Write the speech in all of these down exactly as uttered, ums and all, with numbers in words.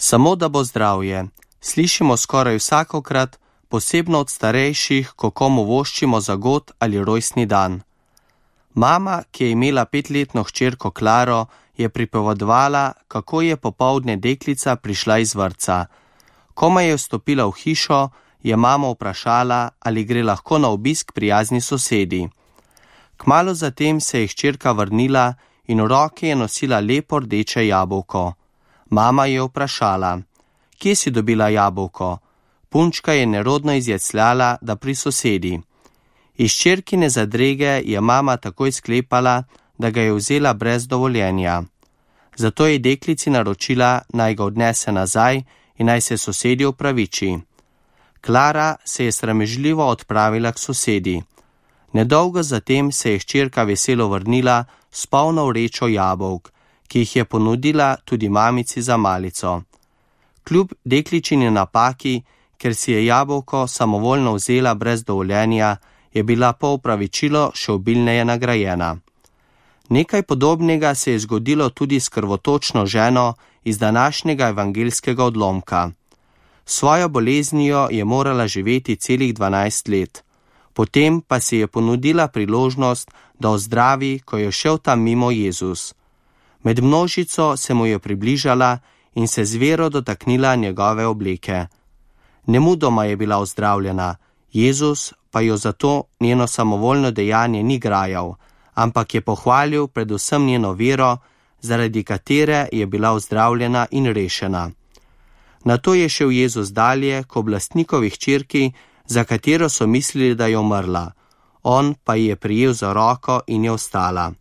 Samo da bo zdravje. Slišimo skoraj vsakokrat, posebno od starejših, ko komu voščimo za god ali rojstni dan. Mama, ki je imela petletno hčerko Klaro, je pripovedovala, kako je popoldne deklica prišla iz vrtca. Komaj je vstopila v hišo, je mama vprašala, ali gre lahko na obisk prijazni sosedi. Kmalu zatem se je hčerka vrnila in v roki je nosila lepo rdeče jabolko. Mama je vprašala, kje si dobila jabolko? Punčka je nerodno izjecljala, da pri sosedi. Iz hčerkine zadrege je mama takoj sklepala, da ga je vzela brez dovoljenja. Zato je deklici naročila, naj ga odnese nazaj in naj se sosedi opraviči. Klara se je sramežljivo odpravila k sosedi. Nedolgo zatem se je hčerka veselo vrnila s polno vrečo jabolk, ki jih je ponudila tudi mamici za malico. Kljub dekličini napaki, ker si je jabolko samovoljno vzela brez dovoljenja, je bila po opravičilo še obilneje nagrajena. Nekaj podobnega se je zgodilo tudi s krvotočno ženo iz današnjega evangeljskega odlomka. Svojo boleznijo je morala živeti celih dvanajst let. Potem pa si je ponudila priložnost, da ozdravi, ko je šel tam mimo Jezus. Med množico se mu je približala in se z vero dotaknila njegove obleke. Nemudoma je bila ozdravljena, Jezus pa jo zato njeno samovoljno dejanje ni grajal, ampak je pohvalil predvsem njeno vero, zaradi katere je bila ozdravljena in rešena. Nato je šel Jezus dalje k oblastnikovi hčerki, za katero so mislili, da je umrla. On pa je prijel za roko in je ostala.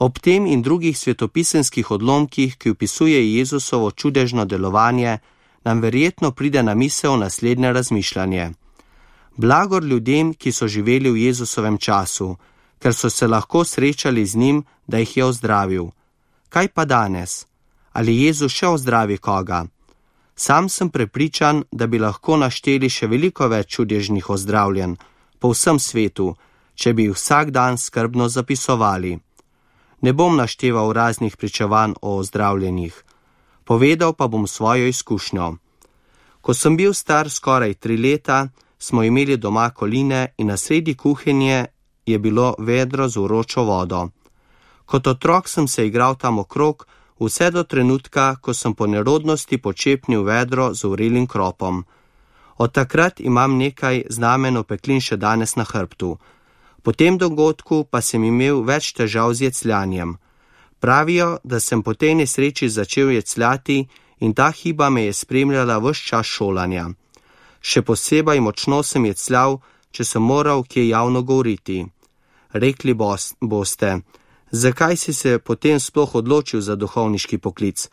Ob tem in drugih svetopisemskih odlomkih, ki opisuje Jezusovo čudežno delovanje, nam verjetno pride na misel naslednje razmišljanje. Blagor ljudem, ki so živeli v Jezusovem času, ker so se lahko srečali z njim, da jih je ozdravil. Kaj pa danes? Ali Jezus še ozdravi koga? Sam sem prepričan, da bi lahko našteli še veliko več čudežnih ozdravljen po vsem svetu, če bi jih vsak dan skrbno zapisovali. Ne bom našteval raznih pričevanj o ozdravljenih. Povedal pa bom svojo izkušnjo. Ko sem bil star skoraj tri leta, smo imeli doma koline in na sredi kuhinje je bilo vedro z vročo vodo. Kot otrok sem se igral tam okrog, vse do trenutka, ko sem po nerodnosti počepnil vedro z vrelim kropom. Od takrat imam nekaj znamen opeklin še danes na hrbtu. Po tem dogodku pa sem imel več težav z jecljanjem. Pravijo, da sem po tej nesreči začel jecljati in ta hiba me je spremljala ves čas šolanja. Še posebej močno sem jecljal, če sem moral kje javno govoriti. Rekli boste, zakaj si se potem sploh odločil za duhovniški poklic?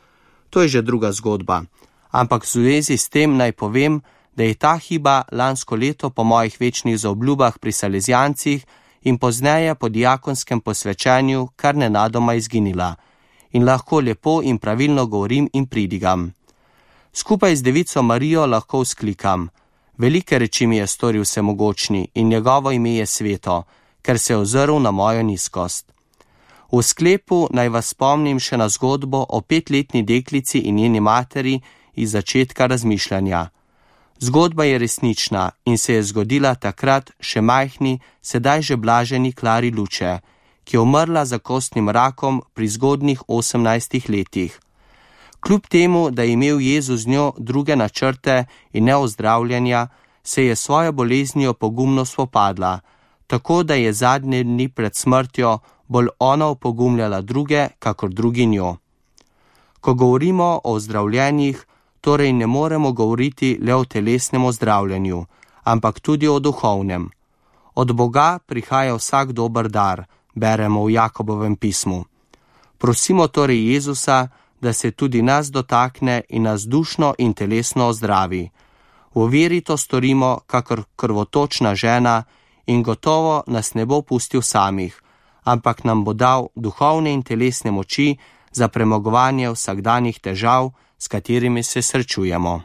To je že druga zgodba. Ampak v zvezi s tem naj povem, da je ta hiba lansko leto po mojih večnih zaobljubah pri Salezijancih in pozneje po diakonskem posvečanju kar nenadoma izginila in lahko lepo in pravilno govorim in pridigam. Skupaj z devico Marijo lahko vzklikam: velike reči mi je storil vsemogočni in njegovo ime je sveto, ker se je ozrl na mojo nizkost. V sklepu naj vas spomnim še na zgodbo o petletni deklici in njeni materi iz začetka razmišljanja. Zgodba je resnična in se je zgodila takrat še majhni, sedaj že blaženi Klari Luče, ki je umrla za kostnim rakom pri zgodnjih osemnajstih letih. Kljub temu, da je imel Jezus z njo druge načrte in ne ozdravljanja, se je svojo boleznijo pogumno spopadla, tako da je zadnje dni pred smrtjo bolj ona opogumljala druge, kakor drugi njo. Ko govorimo o ozdravljenjih, torej ne moremo govoriti le o telesnem ozdravljanju, ampak tudi o duhovnem. Od Boga prihaja vsak dober dar, beremo v Jakobovem pismu. Prosimo torej Jezusa, da se tudi nas dotakne in nas dušno in telesno ozdravi. V veri to storimo, kakor krvotočna žena, in gotovo nas ne bo pustil samih, ampak nam bo dal duhovne in telesne moči za premagovanje vsakdanjih težav, s katerimi se srečujemo.